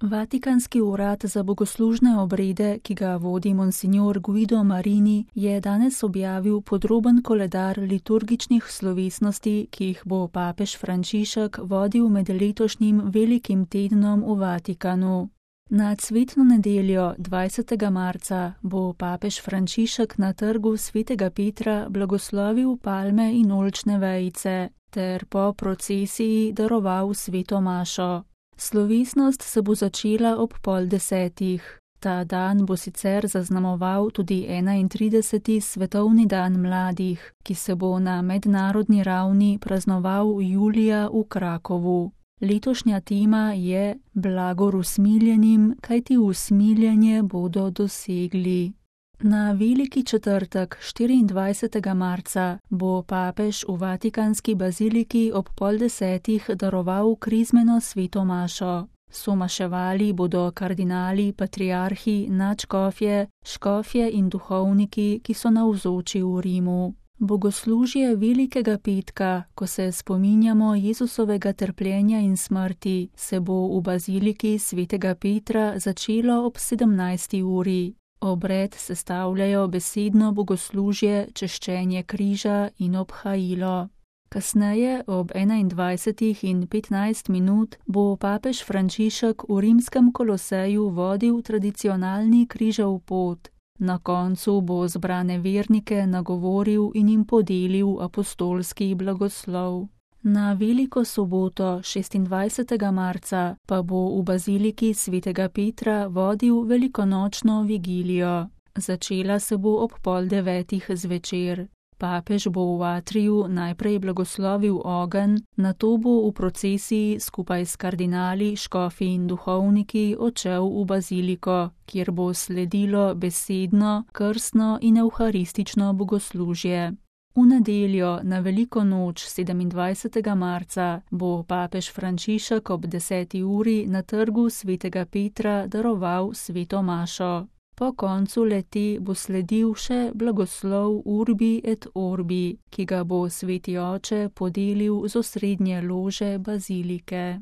Vatikanski urad za bogoslužne obrede, ki ga vodi monsignor Guido Marini, je danes objavil podroben koledar liturgičnih slovesnosti, ki jih bo papež Frančišek vodil med letošnjim velikim tednom v Vatikanu. Na cvetno nedeljo 20. marca bo papež Frančišek na trgu svetega Petra blagoslovil palme in oljčne vejice ter po procesiji daroval sveto mašo. Slovesnost se bo začela ob 9:30. Ta dan bo sicer zaznamoval tudi 31. svetovni dan mladih, ki se bo na mednarodni ravni praznoval julija v Krakovu. Letošnja tema je Blagor usmiljenim, kajti usmiljenje bodo dosegli. Na veliki četrtek 24. marca bo papež v Vatikanski baziliki ob 9:30 daroval krizmeno sveto mašo. Somaševali bodo kardinali, patriarhi, nadškofje, škofje in duhovniki, ki so navzoči v Rimu. Bogoslužje Velikega petka, ko se spominjamo Jezusovega trpljenja in smrti, se bo v baziliki svetega Petra začelo ob 17. uri. Obred sestavljajo besedno bogoslužje, češčenje križa in obhajilo. Kasneje ob 21:15 bo papež Frančišek v rimskem Koloseju vodil tradicionalni križev pot. Na koncu bo zbrane vernike nagovoril in jim podelil apostolski blagoslov. Na veliko soboto 26. marca pa bo v baziliki svetega Petra vodil velikonočno vigilijo. Začela se bo ob 8:30 zvečer. Papež bo v atriju najprej blagoslovil ogenj, nato bo v procesiji skupaj s kardinali, škofi in duhovniki odšel v baziliko, kjer bo sledilo besedno, krstno in evharistično bogoslužje. V nedeljo na veliko noč 27. marca bo papež Frančišek ob 10. uri na trgu svetega Petra daroval sveto mašo. Po koncu leti bo sledil še blagoslov Urbi et Orbi, ki ga bo sveti oče podelil z osrednje lože bazilike.